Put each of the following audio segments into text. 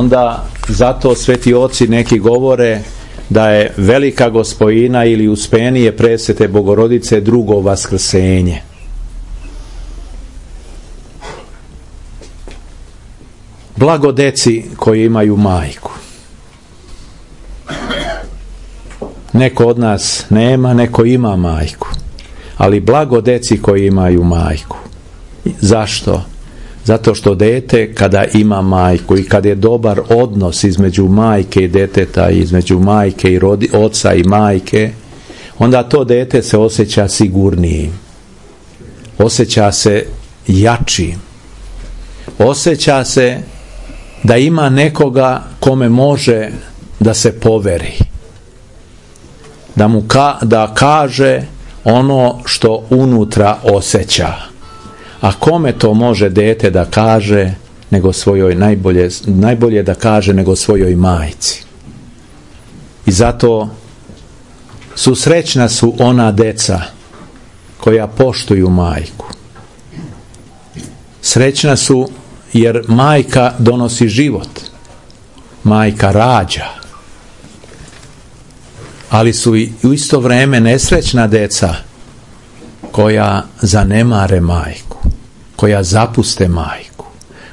Onda zato sveti oci neki govore da je velika gospojina ili uspenije presvete Bogorodice drugo vaskrsenje. Blago deci koji imaju majku. Neko od nas nema, neko ima majku. Ali blago deci koji imaju majku. Zašto? Zato što dete kada ima majku i kad je dobar odnos između majke i deteta, između majke i oca i majke, onda to dete se osjeća sigurnijim. Osjeća se jačim. Osjeća se da ima nekoga kome može da se poveri. Da kaže ono što unutra osjeća. A kome to može dete da kaže nego svojoj najbolje da kaže nego svojoj majci. I zato srećna su ona deca koja poštuju majku. Srećna su jer majka donosi život. Majka rađa. Ali su i u isto vrijeme nesrećna deca koja zanemare majku, koja zapuste majku,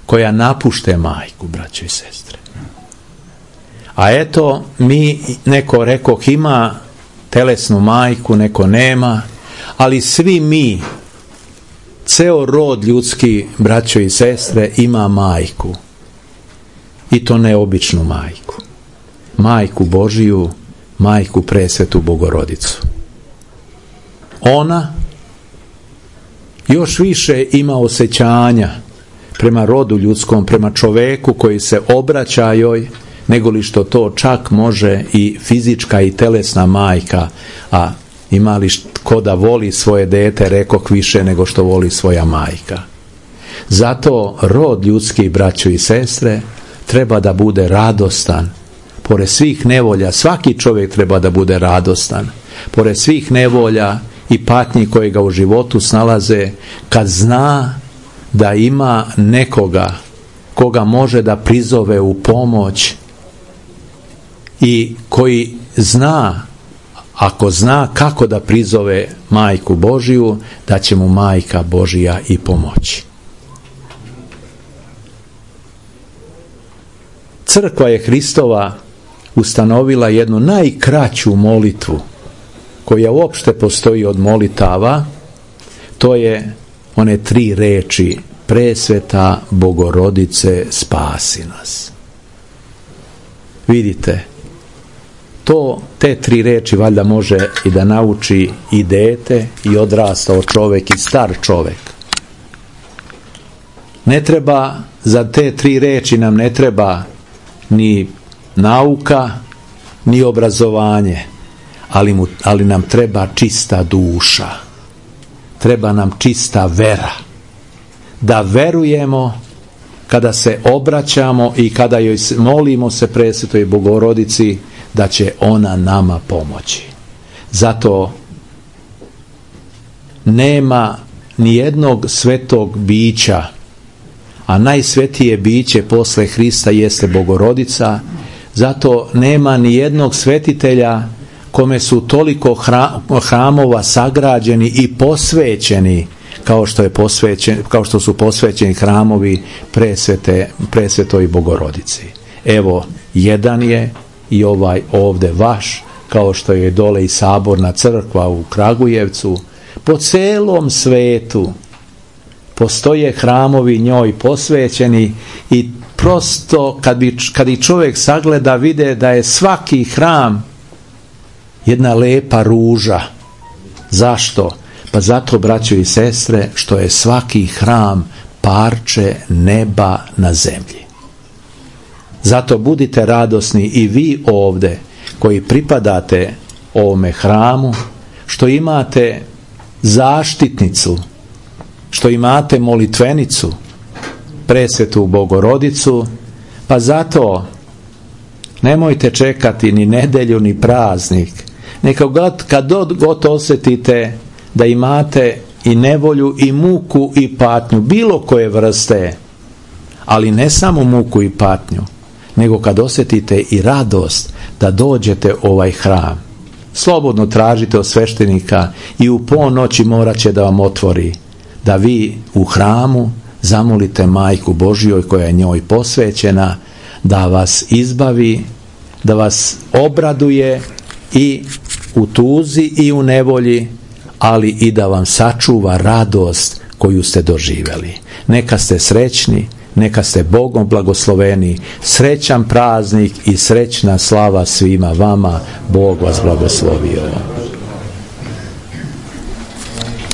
koja napušte majku, braćo i sestre. A eto, mi, neko rekoh ima telesnu majku, neko nema, ali svi mi, ceo rod ljudski, braćo i sestre, ima majku. I to neobičnu majku. Majku Božiju, majku presvetu Bogorodicu. Ona još više ima osjećanja prema rodu ljudskom, prema čoveku koji se obraća joj, nego li što to čak može i fizička i telesna majka, a ima li ko da voli svoje dete, rekoh više nego što voli svoja majka. Zato rod ljudski, braćo i sestre, treba da bude radostan. Pored svih nevolja, svaki čovjek treba da bude radostan. Pored svih nevolja i patnji koje ga u životu snalaze, kad zna da ima nekoga koga može da prizove u pomoć i koji zna, ako zna kako da prizove majku Božiju, da će mu majka Božija i pomoći. Crkva je Hristova ustanovila jednu najkraću molitvu koja uopšte postoji od molitava, to je one 3 reči: presveta Bogorodice, spasi nas. Vidite, te 3 reči valjda može i da nauči i dete, i odrastao čovjek, i star čovjek. Ne treba, za te 3 reči nam ne treba ni nauka, ni obrazovanje, ali nam treba čista duša. Treba nam čista vera. Da verujemo kada se obraćamo i kada joj molimo se presvetoj Bogorodici da će ona nama pomoći. Zato nema ni jednog svetog bića, a najsvetije biće posle Hrista jeste Bogorodica. Zato nema ni jednog svetitelja kome su toliko hramova sagrađeni i posvećeni kao što su posvećeni hramovi presvetoj Bogorodici. Evo, jedan je i ovaj ovde vaš, kao što je dole i saborna crkva u Kragujevcu. Po celom svetu postoje hramovi njoj posvećeni i prosto kad i čovjek sagleda vide da je svaki hram jedna lepa ruža. Zašto? Pa zato, braćo i sestre, što je svaki hram parče neba na zemlji. Zato budite radosni i vi ovde koji pripadate ovome hramu, što imate zaštitnicu, što imate molitvenicu, presvetu Bogorodicu, pa zato nemojte čekati ni nedelju ni praznik. Neka kad god osjetite da imate i nevolju i muku i patnju bilo koje vrste, ali ne samo muku i patnju, nego kad osjetite i radost da dođete u ovaj hram. Slobodno tražite od sveštenika i u ponoći morat će da vam otvori, da vi u hramu zamolite Majku Božjoj koja je njoj posvećena, da vas izbavi, da vas obraduje i u tuzi i u nevolji, ali i da vam sačuva radost koju ste doživjeli. Neka ste srećni, neka ste Bogom blagosloveni, srećan praznik i srećna slava svima vama. Bog vas blagoslovio.